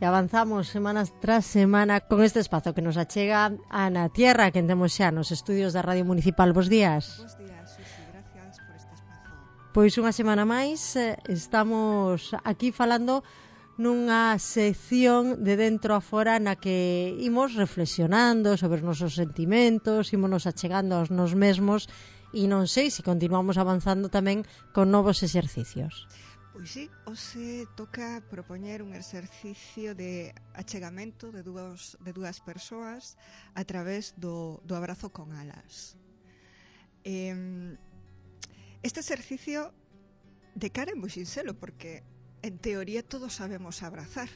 E avanzamos semanas tras semana con este espazo que nos achega Ana Tierra, que temos xa nos estudios da Radio Municipal. Bos días. Bos días, Susi, gracias por este espazo. Pois unha semana máis estamos aquí falando nunha sección de dentro a fora na que imos reflexionando sobre os nosos sentimentos, imos achegando aos nos mesmos e non sei se continuamos avanzando tamén con novos exercicios. Pois sí, hoxe toca propoñer un exercicio de achegamento de dúas persoas a través do abrazo con alas. Este exercicio de cara é moi sinxelo porque en teoría todos sabemos abrazar,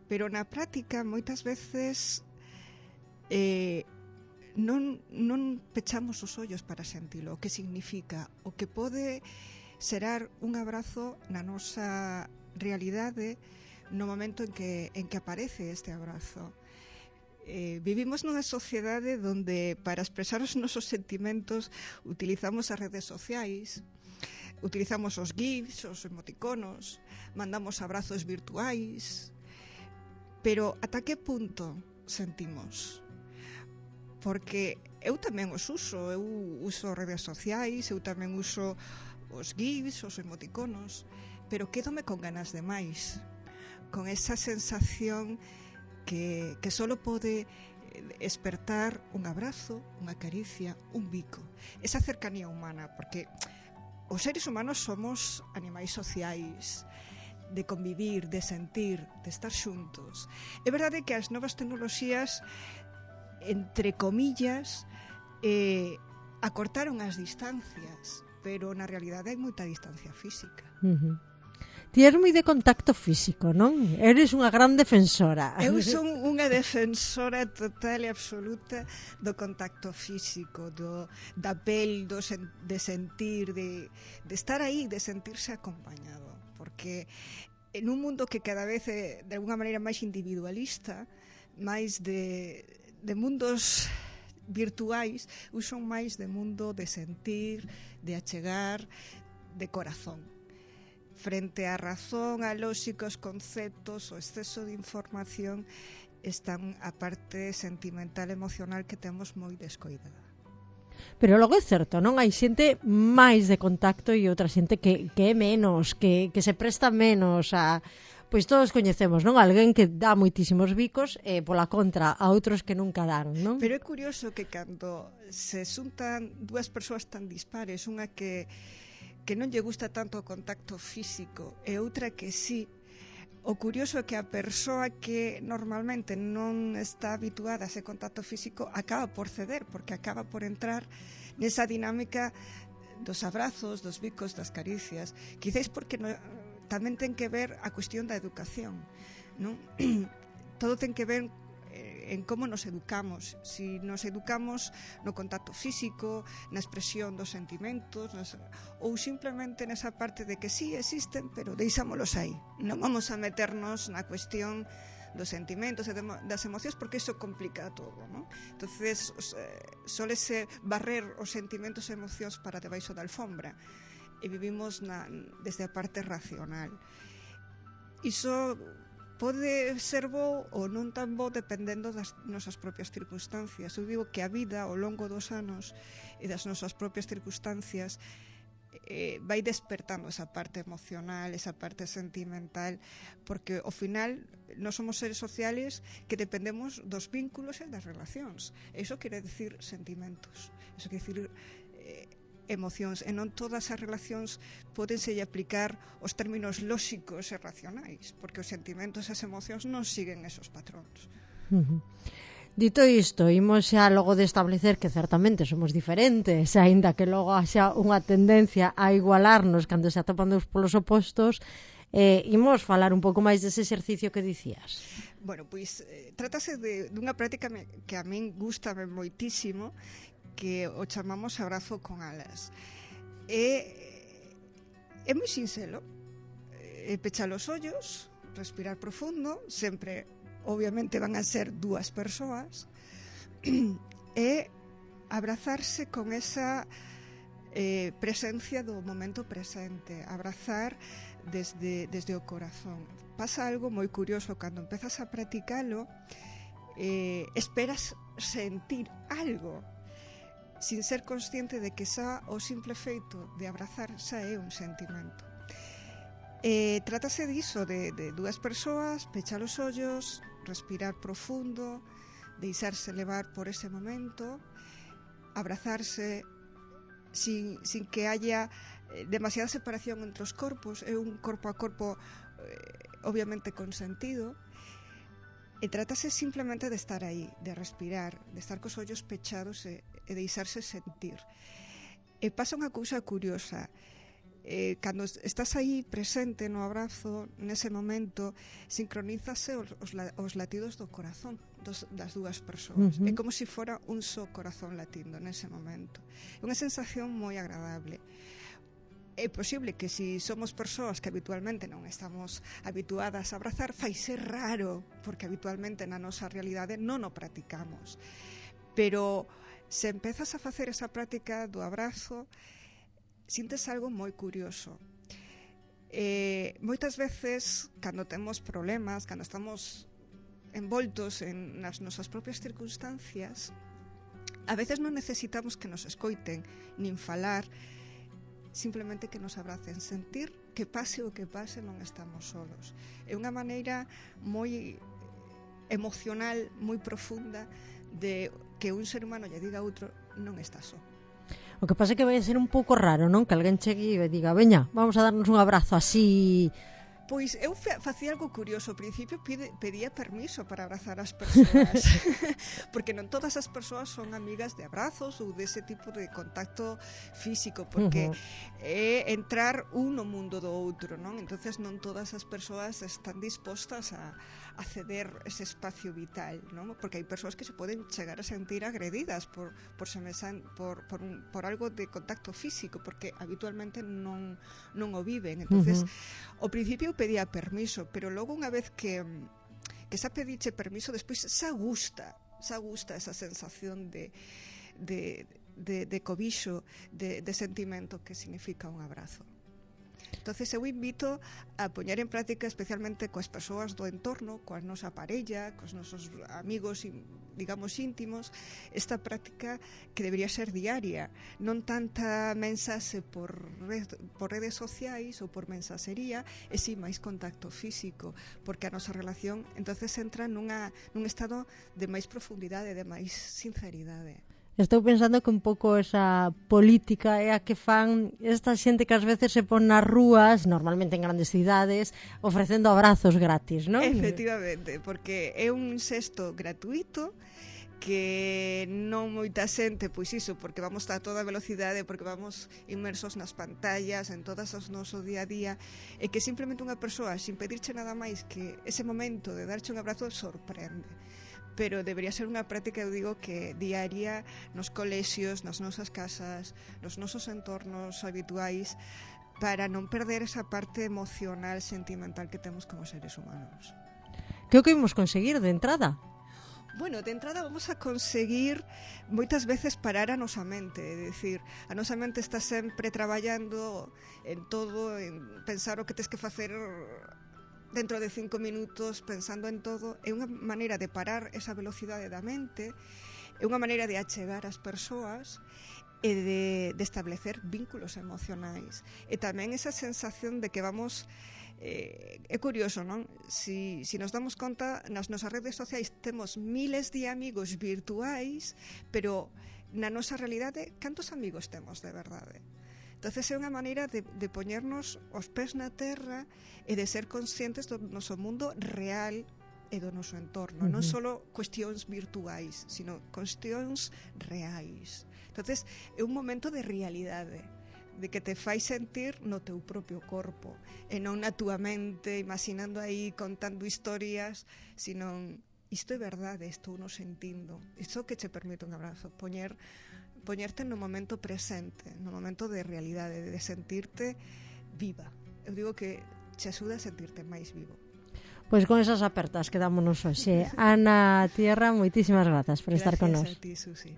pero na práctica moitas veces non pechamos os ollos para sentilo, o que significa, o que pode serar un abrazo na nosa realidade no momento en que aparece este abrazo. Vivimos nunha sociedade donde para expresar os nosos sentimentos utilizamos as redes sociais, utilizamos os GIFs, os emoticonos, mandamos abrazos virtuais, pero ata que punto sentimos? Porque eu tamén os uso, eu uso redes sociais, eu tamén uso os GIFs, os emoticonos, pero quédome con ganas de máis, con esa sensación que solo pode despertar un abrazo, unha caricia, un bico, esa cercanía humana, porque os seres humanos somos animais sociais, de convivir, de sentir, de estar xuntos. É verdade que as novas tecnoloxías, entre comillas, acortaron as distancias, pero na realidade hai moita distancia física. Ti eres moi de contacto físico, non? Eres unha gran defensora. Eu son unha defensora total e absoluta do contacto físico, da pel, de sentir, de estar aí, de sentirse acompañado. Porque en un mundo que cada vez é de alguna maneira máis individualista, máis de mundos virtuais, son máis de mundo de sentir, de achegar, de corazón. Frente á razón, a lóxicos conceptos, o exceso de información, están a parte sentimental, emocional que temos moi descoidada. Pero logo é certo, non? Hai xente máis de contacto e outra xente que é menos, que se presta menos a... Pois todos coñecemos, non? Alguén que dá moitísimos bicos e pola contra a outros que nunca dan, non? Pero é curioso que cando se xuntan dúas persoas tan dispares, unha que non lle gusta tanto o contacto físico e outra que sí, o curioso é que a persoa que normalmente non está habituada a ese contacto físico acaba por ceder, porque acaba por entrar nesa dinámica dos abrazos, dos bicos, das caricias. Quizás porque tamén ten que ver a cuestión da educación, non? Todo ten que ver en como nos educamos, si nos educamos no contacto físico, na expresión dos sentimentos, ou simplemente nesa parte de que sí existen, pero deixámolos aí. Non vamos a meternos na cuestión dos sentimentos e das emocións, porque iso complica todo, non? Entonces, solese barrer os sentimentos e emocións para debaixo da alfombra, e vivimos desde a parte racional. Iso pode ser bo ou non tan bo dependendo das nosas propias circunstancias. Eu digo que a vida ao longo dos anos e das nosas propias circunstancias vai despertando esa parte emocional, esa parte sentimental, porque ao final nós somos seres sociales que dependemos dos vínculos e das relacións. Iso quere dicir sentimentos, iso quere dicir emocións, e non todas as relacións pódense aplicar os términos lóxicos e racionais, porque os sentimentos e as emocións non siguen esos patróns. Dito isto, imos xa logo de establecer que certamente somos diferentes, aínda que logo xa unha tendencia a igualarnos cando se atopan dos polos opostos, imos falar un pouco máis dese exercicio que dicías. Bueno, pois trátase dunha práctica que a min gustame moitísimo, que o chamamos abrazo con alas. É moi sinxelo, pechar os ollos, respirar profundo, sempre, obviamente, van a ser dúas persoas, e abrazarse con esa presencia do momento presente, abrazar desde o corazón. Pasa algo moi curioso cando empezas a practicalo, esperas sentir algo sin ser consciente de que xa o simple feito de abrazar xa é un sentimento. Trátase diso, de dúas persoas, pechar os ollos, respirar profundo, deixarse levar por ese momento, abrazarse sin que haya demasiada separación entre os corpos, é un corpo a corpo obviamente consentido, e trátase simplemente de estar aí, de respirar, de estar cos ollos pechados e deixarse sentir. E pasa unha cousa curiosa, cando estás aí presente no abrazo, nese momento sincronízase os latidos do corazón das dúas persoas. É como se fora un só corazón latindo nese momento. É unha sensación moi agradable. É posible que se somos persoas que habitualmente non estamos habituadas a abrazar, fai ser raro, porque habitualmente na nosa realidade non o practicamos. Pero se empezas a facer esa práctica do abrazo, sintes algo moi curioso. Moitas veces, cando temos problemas, cando estamos envoltos nas nosas propias circunstancias, a veces non necesitamos que nos escoiten, nin falar, simplemente que nos abracen, sentir que pase o que pase non estamos solos. É unha maneira moi emocional, moi profunda de que un ser humano lle diga a outro non está só. O que pasa é que vai ser un pouco raro, non? Que alguén chegue e diga, veña, vamos a darnos un abrazo así. Pois eu facía algo curioso. Ao principio pedía permiso para abrazar as persoas porque non todas as persoas son amigas de abrazos ou dese tipo de contacto físico, porque é entrar un no mundo do outro, non? Entonces non todas as persoas están dispostas a ceder ese espacio vital, non? Porque hai persoas que se poden chegar a sentir agredidas por algo de contacto físico, porque habitualmente non o viven. Entonces, ao principio pedía permiso, pero logo unha vez que xa pediche permiso, despois xa gusta esa sensación de cobixo, de sentimento que significa un abrazo. Entonces eu invito a poñer en práctica, especialmente coas persoas do entorno, coa nosa parella, cos nosos amigos, digamos, íntimos, esta práctica que debería ser diaria, non tanta mensaxe por redes sociais ou por mensaxería, e si máis contacto físico, porque a nosa relación entonces entra nun estado de máis profundidade, de máis sinceridade. Estou pensando que un pouco esa política é a que fan esta xente que ás veces se pon nas rúas, normalmente en grandes cidades, ofrecendo abrazos gratis, non? Efectivamente, porque é un xesto gratuito que non moita xente, pois iso, porque vamos a toda velocidade, porque vamos inmersos nas pantallas, en todas as noso día a día, e que simplemente unha persoa, sin pedirche nada máis que ese momento de darche un abrazo, sorprende. Pero debería ser unha práctica, eu digo, que diaria nos colexios, nas nosas casas, nos nosos entornos habituais, para non perder esa parte emocional, sentimental que temos como seres humanos. Que o que imos conseguir de entrada? Bueno, de entrada vamos a conseguir moitas veces parar a nosa mente, é dicir, a nosa mente está sempre traballando en todo, en pensar o que tes que facer dentro de 5 minutos, pensando en todo. É unha maneira de parar esa velocidade da mente, é unha maneira de achegar as persoas e de establecer vínculos emocionais. E tamén esa sensación de que vamos... é curioso, non? Si nos damos conta, nas nosas redes sociais temos miles de amigos virtuais, pero na nosa realidade, cantos amigos temos de verdade? Entonces é unha maneira de poñernos os pés na terra e de ser conscientes do noso mundo real e do noso entorno, non só cuestións virtuais, sino cuestións reais. Entonces é un momento de realidade, de que te fai sentir no teu propio corpo e non na túa mente imaginando aí, contando historias, sino isto é verdade, estou no sentindo. Isto que che permite un abrazo, poñerte no momento presente, no momento de realidade, de sentirte viva. Eu digo que te axuda a sentirte máis vivo. Pois con esas apertas quedámonos hoxe. Ana Tierra, moitísimas grazas por estar con nós. Gracias a ti, Susi.